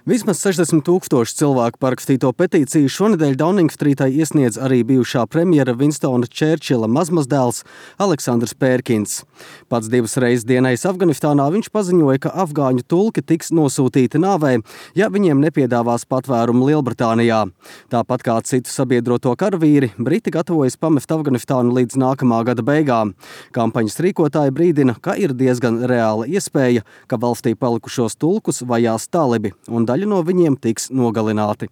Vismaz 60,000 cilvēku parakstīto petīciju šonedēļ Dauningstrītai iesniedz arī bijušā premjera Winstona Čērčila mazmazdēls Aleksandrs Pērkins. Pats 2 reizes dienējis Afganistānā, viņš paziņoja, ka afgāņu tulki tiks nosūtīti nāvei, ja viņiem nepiedāvās patvērumu Lielbritānijā. Tāpat kā citu sabiedroto karavīri, Briti gatavojas pamest Afganistānu līdz nākamā gada beigām. Kampaņas rīkotāji brīdina, ka ir diezgan reāla iespēja, ka valstī palikušos tulkus vajās talibi, un daļa no viņiem tiks nogalināti.